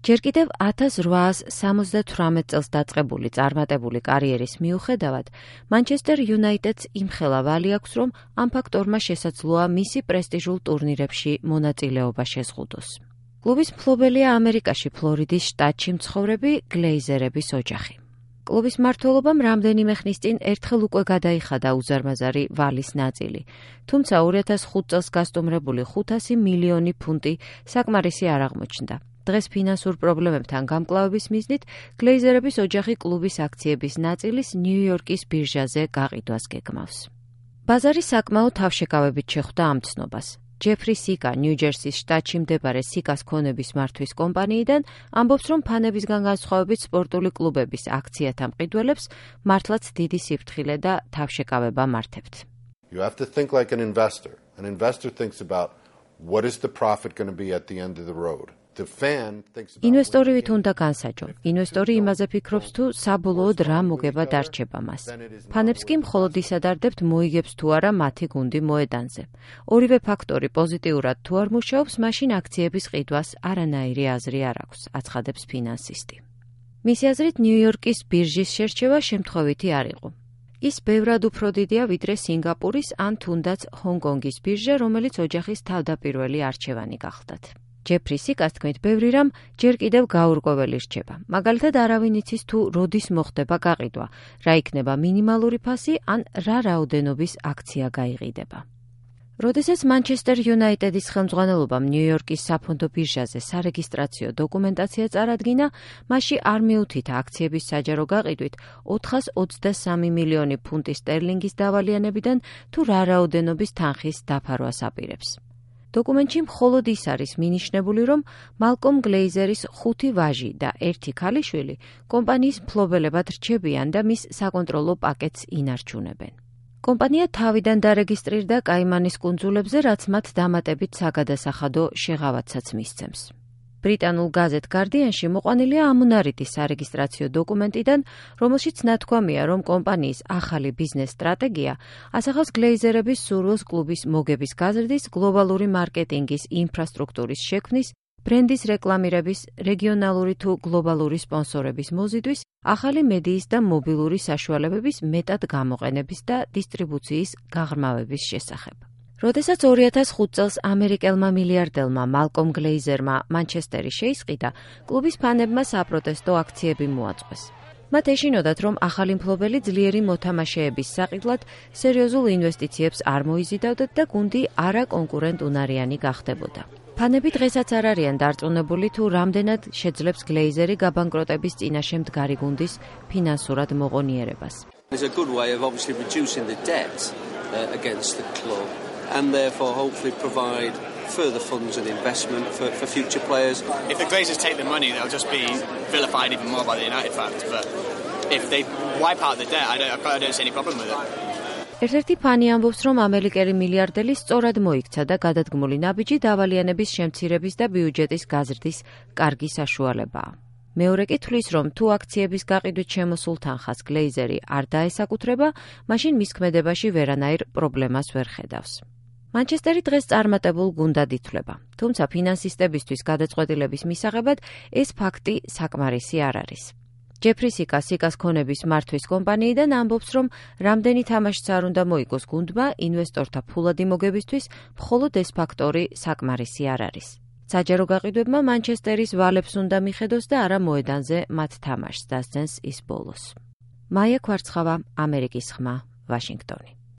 ჯერ კიდევ 1878 წელს დაწყებული წარმატებული კარიერის მიუხედავად, Manchester United-ს იმხელა ვალი აქვს, რომ ამ ფაქტორმა შესაძლოა მისი პრესტიჟულ ტურნირებში მონაწილეობა შეზღუდოს. კლუბის მფლობელია ამერიკაში ფლორიდის შტატში მცხოვრები გლეიზერების ოჯახი. კლუბის მმართველობამ რამდენიმე ხნის წინ ერთხელ უკვე გადაიხადა უზარმაზარი ვალის ნაწილი, თუმცა 2005 წელს გასტუმრებული 500 მილიონი ფუნტი საკმარისი არ აღმოჩნდა. დღეს ფინანსურ პრობლემებთან გამკლავების მიზნით გლეიზერების ოჯახი კლუბის აქციების ნაწილის ნიუ-იორკის ბირჟაზე გაყიდვას გეგმავს. ბაზარი საკმაოდ თავშეკავებით შეხვდა ამ ცნობას. ჯეფრი სიკა ნიუ-ჯერსის შტატში მდებარე სიკას ქონების მართვის კომპანიიდან ამბობს, რომ ფანებისგან განსხვავებით სპორტული კლუბების აქციათა მყიდველებს მართლაც დიდი სიფრთხილე და თავშეკავება მართებთ. You have to think like an investor. An investor thinks about what is the profit going to be at the end of the road. ინვესტორი ვით უნდა განსაჯო. ინვესტორი იმაზე ფიქრობს, თუ საბოლოოდ რა მოგება დარჩება მას. ფანებს კი მხოლოდ ის ადარდებთ, მოიგებს თუ არა მათი გუნდი მოედანზე. ორივე ფაქტორი პოზიტიურად თუ არ მუშაობს, მაშინ აქციების ყიდვას არანაირი აზრი არ აქვს, აცხადებს ფინანსისტი. მისი აზრით, ნიუ-იორკის ბირჟის შერჩევა შემთხვევითი არ იყო. ის ბევრად უფრო დიდია ვიდრე სინგაპურის ან თუნდაც ჰონგ-კონგის ბირჟა, რომელიც ოჯახის თავდაპირველი არჩევანი გახლდათ. ჯეფრი სიკას თქმით, ბევრი რამ ჯერ კიდევ გაურკვეველი რჩება. მაგალითად, არავინ იცის თუ როდის მოხდება გაყიდვა, რა იქნება მინიმალური ფასი ან რა რაოდენობის აქცია გაიყიდება. როდესაც Manchester United-ის ხელმძღვანელობამ ნიუ-იორკის საფონდო ბირჟაზე სარეგისტრაციო დოკუმენტაცია წარადგინა, მასში არ მიუთითა აქციების საჯარო გაყიდვით 423 მილიონი ფუნტი სტერლინგის დავალიანებიდან თუ რა რაოდენობის თანხის დაფარვას აპირებს. დოკუმენტში მხოლოდ ის არის მინიშნებული, რომ მალკომ გლეიზერის 5 ვაჟი და 1 ქალიშვილი კომპანიის მფლობელებად რჩებიან და მის საკონტროლო პაკეტს ინარჩუნებენ. კომპანია თავიდან დარეგისტრირდა კაიმანის კუნძულებზე, რაც მათ დამატებით საგადასახადო შეღავათსაც მისცემს. ბრიტანულ გაზეთ Guardian-ში მოყვანილია ამუნარიდის სარეგისტრაციო დოკუმენტიდან, რომელშიც ნათქვამია, რომ კომპანიის ახალი ბიზნეს სტრატეგია ასახავს გლეიზერების სურვილს კლუბის მოგების გაზრდის, გლობალური მარკეტინგის ინფრასტრუქტურის შექმნის, ბრენდის რეკლამირების, რეგიონალური თუ გლობალური სპონსორების მოზიდვის, ახალი მედიის და მობილური საშუალებების მეტად გამოყენების და დისტრიბუციის გაღრმავების შესახებ. როდესაც 2005 წელს ამერიკელმა მილიარდელმა მალკომ გლეიზერმა მანჩესტერი შეისყიდა, კლუბის ფანებმა საპროტესტო აქციები მოაწყვეს. მათ ეშინოდათ, რომ ახალი მფლობელი ძლიერი მოთამაშეების საყიდლად სერიოზულ ინვესტიციებს არ მოიზიდავდათ და გუნდი არაკონკურენტუნარიანი გახდებოდა. ფანები დღესაც არ არიან დარწმუნებული, თუ რამდენად შეძლებს გლეიზერი გაბანკროტების წინაშე მდგარი გუნდის ფინანსურად მოღონიერებას. And therefore hopefully provide further funds and investment for future players. If the Glazers take the money, they'll just be vilified even more by the United fans. But if they wipe out the debt, I don't see any problem with it. ერთ-ერთი ფანი ამბობს, რომ ამერიკელი მილიარდელი სწორად მოიქცა და გადადგმული ნაბიჯი დავალიანების შემცირების და ბიუჯეტის გაზრდის კარგი საშუალებაა. მეორე კი თვლის, რომ თუ აქციების გაყიდვით შემოსულ თანხას გლეიზერი არ დაესაკუთრება, მაშინ მის ქმედებაში ვერანაირ პრობლემას ვერ ხედავს. Manchester-ი დღეს წარმატებულ გუნდად ითვლება, თუმცა ფინანსისტებისთვის გადაწყვეტილების მისაღებად ეს ფაქტი საკმარისი არ არის. ჯეფრი სიკა სიკას ქონების მართვის კომპანიიდან ამბობს, რომ რამდენი თამაშიც არ უნდა მოიგოს გუნდმა, ინვესტორთა ფულადი მოგებისთვის მხოლოდ ეს ფაქტორი საკმარისი არ არის. საჯარო გაყიდვებმა Manchester-ის ვალებს უნდა მიხედოს და არა მოედანზე მათ თამაშს დასცენს ის ბოლოს. მაია ქვარცხავა, ამერიკის ხმა, ვაშინგტონი.